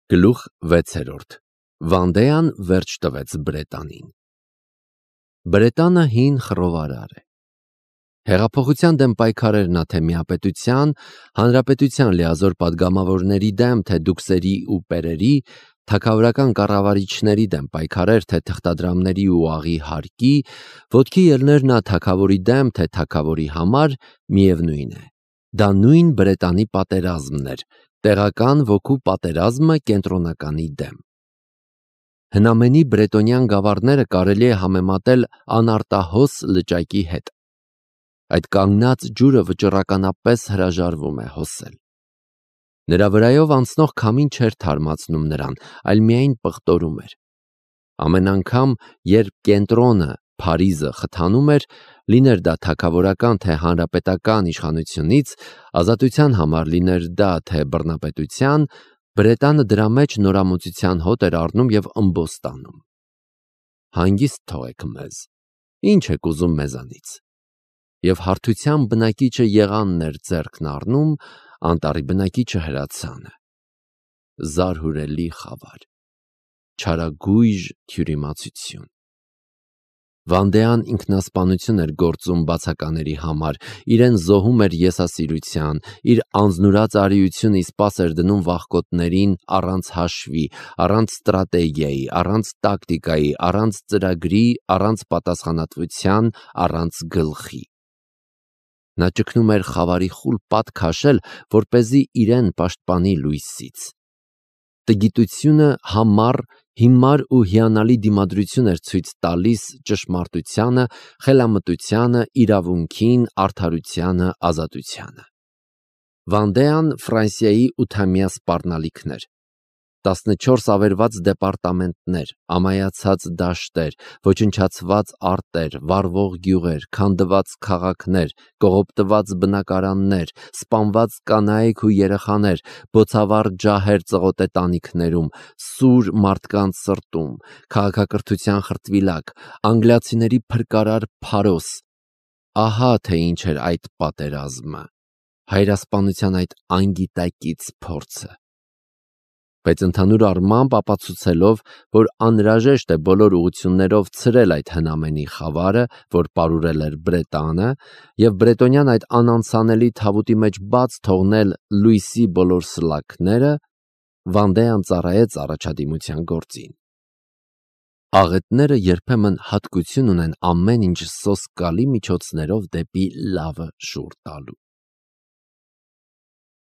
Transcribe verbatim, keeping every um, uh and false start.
Գլուխ վեցերորդ. Վանդեան վերջ տվեց Բրետանին։ Բրետանը հին խռովարար է։ Հեղափոխության դեմ պայքարեր նա թե միապետության, հանրապետության լիազոր պատգամավորների դեմ, թե դուքսերի ու պերերի, թագավորական կառավարիչների դեմ պայքարեր, թե թղթադրամների ու աղի հարկի, ոտքի ելներ նա թագավորի դեմ, թե թագավորի համար, միևնույն է։ Դա նույն Բրետանի պատերազմն էր, տեղական ոգու պատերազմը կենտրոնականի դեմ։ Հնամենի բրետոնյան գավառները կարելի է համեմատել անարտահոս լճակի հետ։ Այդ կանգնած ջուրը վճռականապես հրաժարվում է հոսել։ Նրա վրայով անցնող քամին չէր թարմացնում նրան, այլ միայն պղտորում էր։ Ամեն անգամ, երբ կենտրոնը, Փարիզը խթանում էր, լիներ դա թագավորական թե հանրապետական իշխանությունից, ազատության համար լիներ դա թե բռնապետության, Բրետանը դրա մեջ նորամուծության հոտ էր առնում և ըմբոս տանում։ Հանգիստ թողեք մեզ, ինչ եք ուզում մեզանից։ Եվ հարթության բնակիչը եղանն էր ձեռքն առնում, անտառի բնակիչը հրացանը։ Զարհուրելի խավար, չարագույժ թյուրիմացություն։ Վանդեան ինքնասպանություն էր գործում բացակաների համար, իրեն զոհում էր եսասիրության, իր անձնուրաց արիությունը իսպաս էր դնում վախկոտներին առանց հաշվի, առանց ստրատեգիայի, առանց տակտիկայի, առանց ծրագրի, առանց պատասխանատվության, առանց գլխի։ Նա ճգնում էր խավարի խուլ պատ քաշել, որպեսզի իրեն պաշտպանի լույսից։ Տգիտությունը համառ, հիմար ու հիանալի դիմադրություն էր ցույց տալիս ճշմարտությանը, խելամտությանը, իրավունքին, արդարությանը, ազատությանը։ Վանդեան Ֆրանսիայի ութամյա սպառնալիքն էր։ տասնչորս ավերված դեպարտամենտներ, ամայացած դաշտեր, ոչնչացված արտեր, վառվող գյուղեր, քանդված քաղաքներ, կողոպտված բնակարաններ, սպանված կանայք ու երեխաներ, բոցավառ ջահեր ծղոտե տանիքներում, սուր մարդկանց սրտում, քաղաքակրթության խրտվիլակ, անգլիացիների փրկարար փարոս։ Ահա թե ինչ էր այդ պատերազմը, հայրասպանության այդ անգիտակից փորձը։ Բայց ընդհանուր առմամբ ապացուցելով, որ անհրաժեշտ է բոլոր ուղղություններով ցրել այդ հնամենի խավարը, որ պարուրել էր Բրետանը, և բրետոնյան այդ անանցանելի թավուտի մեջ բաց թողնել լույսի բոլոր սլաքները, Վանդեան ծառայեց առաջադիմության գործին։ Աղետները երբեմն հատկություն ունեն ամեն ինչ սոսկալի միջոցներով դեպի լավը շուռ տալու։